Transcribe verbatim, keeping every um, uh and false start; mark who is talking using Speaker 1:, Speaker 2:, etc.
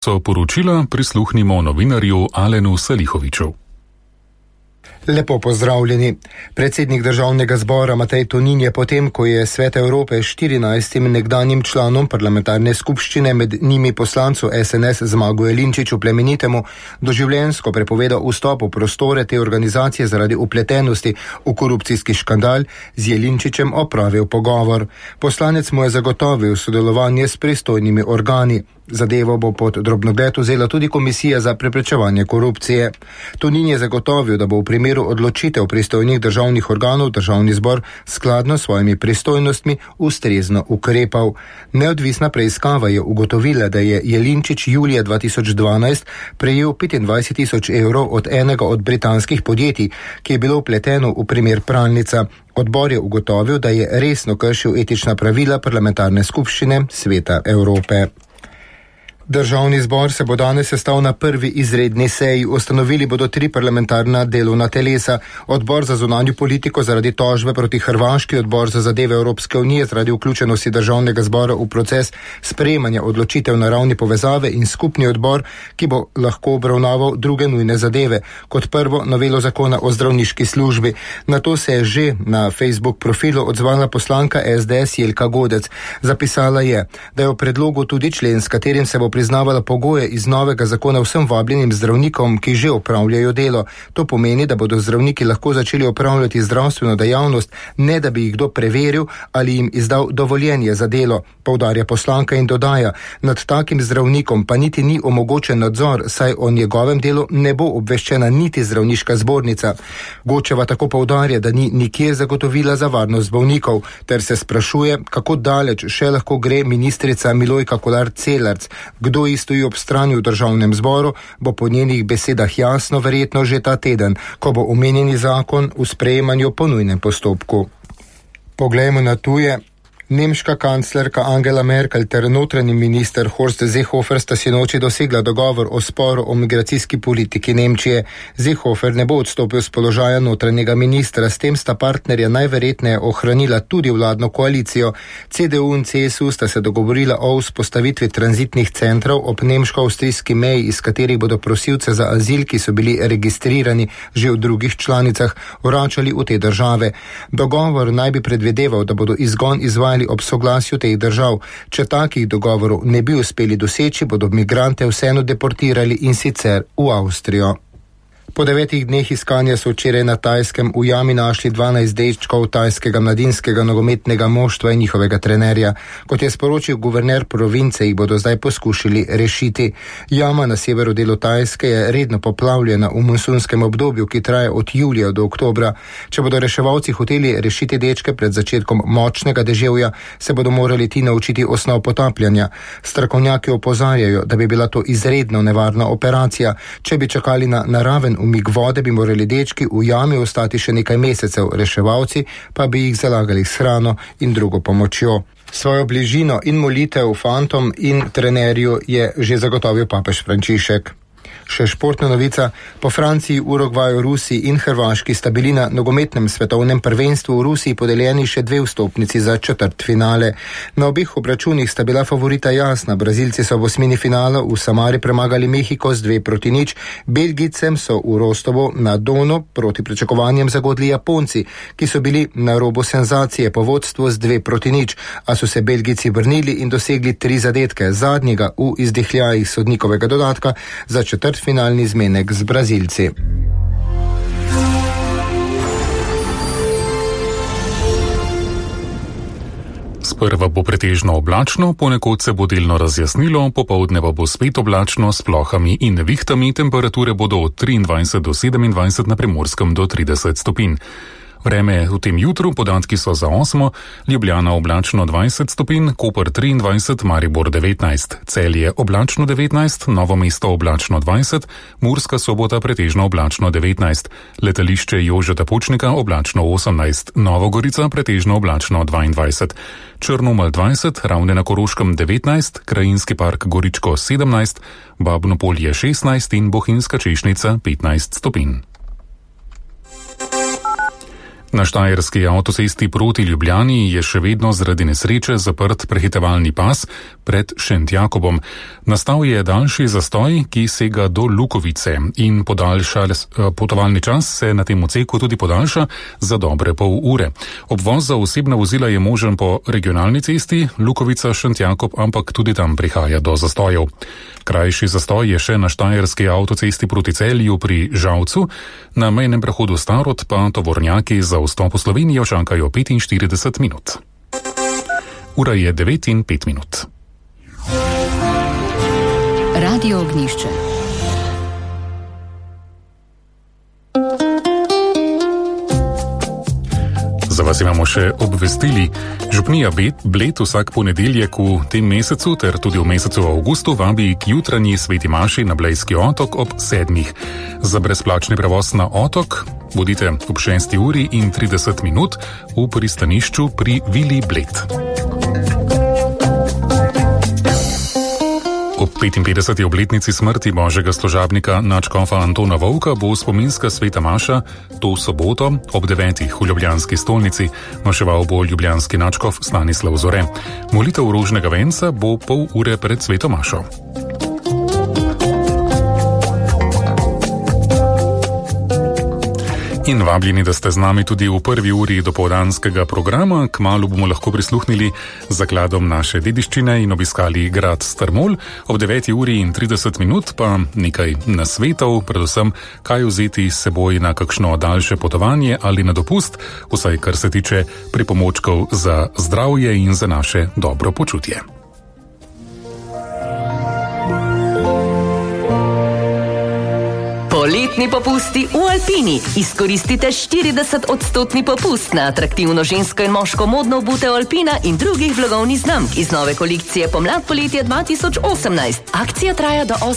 Speaker 1: vrsto poročila prisluhnimo novinarju Alenu Salihoviču.
Speaker 2: Lepo pozdravljeni. Predsednik državnega zbora Matej Tonin je potem, ko je Svet Evrope štirinajstim nekdanjim članom parlamentarne skupščine, med njimi poslancu es en es Zmagu Jelinčiču Plemenitemu, doživljenjsko prepovedal vstop v prostore te organizacije zaradi upletenosti v korupcijski škandal, z Jelinčičem opravil pogovor. Poslanec mu je zagotovil sodelovanje s pristojnimi organi. Zadevo bo pod drobnogled vzela tudi Komisija za preprečevanje korupcije. Tonin je zagotovil, da bo v primeru odločitev pristojnih državnih organov državni zbor skladno s svojimi pristojnostmi ustrezno ukrepal. Neodvisna preiskava je ugotovila, da je Jelinčič julija dva tisoč dvanajst prejel petindvajset tisoč evrov od enega od britanskih podjetij, ki je bilo vpleteno v primer pralnica. Odbor je ugotovil, da je resno kršil etična pravila parlamentarne skupščine Sveta Evrope. Državni zbor se bo danes sestal na prvi izredni seji. Ustanovili bodo tri parlamentarna delovna telesa. Odbor za zunanjo politiko zaradi tožbe proti Hrvaški, odbor za zadeve Evropske unije zaradi vključenosti državnega zbora v proces sprejemanja odločitev na ravni povezave in skupni odbor, ki bo lahko obravnaval druge nujne zadeve. Kot prvo novelo zakona o zdravniški službi. Na to se je že na Facebook profilu odzvala poslanka es de es Jelka Godec. Zapisala je, da je v predlogu tudi člen, s katerim se bo priznavala pogoje iz novega zakona vsem vabljenim zdravnikom, ki že opravljajo delo. To pomeni, da bodo zdravniki lahko začeli opravljati zdravstveno dejavnost, ne da bi jih kdo preveril ali jim izdal dovoljenje za delo, poudarja poslanka in dodaja, nad takim zdravnikom pa niti ni omogočen nadzor, saj o njegovem delu ne bo obveščena niti zdravniška zbornica. Gočeva tako poudarja, da ni nikjer zagotovila za varnost bolnikov, ter se sprašuje, kako daleč še lahko gre ministrica Milojka Kolar Celarc. Kdo ji stoji ob strani v državnem zboru, bo po njenih besedah jasno verjetno že ta teden, ko bo omenjeni zakon v sprejemanju po nujnem postopku. Poglejmo na tuje. Nemška kanclerka Angela Merkel ter notranji minister Horst Seehofer sta sinoči dosegla dogovor o sporu o migracijski politiki Nemčije. Seehofer ne bo odstopil z položaja notranjega ministra, s tem sta partnerja najverjetneje ohranila tudi vladno koalicijo. ce de u in ce es u sta se dogovorila o vzpostavitvi tranzitnih centrov ob nemško-avstrijski meji, iz katerih bodo prosilce za azil, ki so bili registrirani že v drugih članicah, vračali v te države. Dogovor naj bi predvideval, da bodo izgon izvajali ob soglasju teh držav. Če takih dogovorov ne bi uspeli doseči, bodo migrante vseeno deportirali in sicer v Avstrijo. Po devetih dneh iskanja so včeraj na Tajskem v jami našli dvanajst dečkov tajskega mladinskega nogometnega moštva in njihovega trenerja. Kot je sporočil guverner province, jih bodo zdaj poskušali rešiti. Jama na severu delu Tajske je redno poplavljena v monsunskem obdobju, ki traja od julija do oktobra. Če bodo reševalci hoteli rešiti dečke pred začetkom močnega deževja, se bodo morali ti naučiti osnov potapljanja. Strokovnjaki opozarjajo, da bi bila to izredno nevarna operacija. Če bi čakali na naraven umik vode, bi morali dečki v jami ostati še nekaj mesecev, reševalci pa bi jih zalagali s hrano in drugo pomočjo. Svojo bližino in molitev fantom in trenerju je že zagotovil papež Frančišek. Še športna novica. Po Franciji, Urugvaju, Rusiji in Hrvaški sta bili na nogometnem svetovnem prvenstvu v Rusiji podeljeni še dve vstopnici za četrtfinale. Na obih obračunih sta bila favorita jasna. Brazilci so v osmini finala v Samari premagali Mehiko z dve proti nič. Belgijcem so v Rostovu na Donu proti pričakovanjem zagodli Japonci, ki so bili na robu senzacije po vodstvu z dve proti nič, a so se Belgijci vrnili in dosegli tri zadetke, zadnjega v izdihljajih sodnikovega dodatka za četrt finalni zmenek z Brazilci.
Speaker 1: Sprva bo pretežno oblačno, ponekod se bo delno razjasnilo, popoldne pa bo spet oblačno s plohami in nevihtami, temperature bodo od triindvajset do sedemindvajset, na Primorskem do trideset stopinj. Vreme v tem jutru, podatki so za osmo, Ljubljana oblačno dvajset stopinj, Koper triindvajset, Maribor devetnajst, Celje oblačno devetnajst, Novo mesto oblačno dvajset, Murska Sobota pretežno oblačno devetnajst, Letališče Jožeta Pučnika oblačno osemnajst, Novogorica pretežno oblačno dvaindvajset, Črnomelj dvajset, Ravne na Koroškem devetnajst, Krajinski park Goričko sedemnajst, Babno Polje šestnajst in Bohinjska Češnica petnajst stopinj. Na štajerski avtocesti proti Ljubljani je še vedno zaradi nesreče zaprt prehitevalni pas pred Šentjakobom. Nastal je daljši zastoj, ki sega do Lukovice in podaljša, potovalni čas se na tem odseku tudi podaljša za dobre pol ure. Obvoz za osebna vozila je možen po regionalni cesti Lukovica-Šentjakob, ampak tudi tam prihaja do zastojev. Krajši zastoj je še na štajerski avtocesti proti Celju pri Žalcu, na mejnem prehodu Starod pa tovornjaki za vstop v Slovenijo čakajo petinštirideset minut. Ura je devet in pet minut.
Speaker 3: Radio Ognjišče.
Speaker 1: Za vas imamo še obvestili. Župnija Bled vsak ponedeljek v tem mesecu ter tudi v mesecu avgustu vabi k jutranji sveti maši na Blejski otok ob sedmih. Za brezplačni prevoz na otok bodite ob šesti uri in trideset minut v pristanišču pri Vili Bled. Ob petinpetdeseti obletnici smrti božjega služabnika nadškofa Antona Vovka bo spominska sveta maša to soboto ob devetih v ljubljanski stolnici. Maševal bo ljubljanski nadškof Stanislav Zore. Molitev rožnega venca bo pol ure pred sveto mašo. In vabljeni, da ste z nami tudi v prvi uri dopoldanskega programa. Kmalu bomo lahko prisluhnili zakladom naše dediščine in obiskali grad Strmol. Ob deveti uri in trideset minut pa nekaj nasvetov, predvsem kaj vzeti s seboj na kakšno daljše potovanje ali na dopust, vsaj kar se tiče pripomočkov za zdravje in za naše dobro počutje.
Speaker 4: Poletni popusti v Alpini. Izkoristite štirideset odstotni popust na atraktivno žensko in moško modno obutev Alpina in drugih blagovnih znamk iz nove kolekcije pomlad poletje dva tisoč osemnajst. Akcija traja do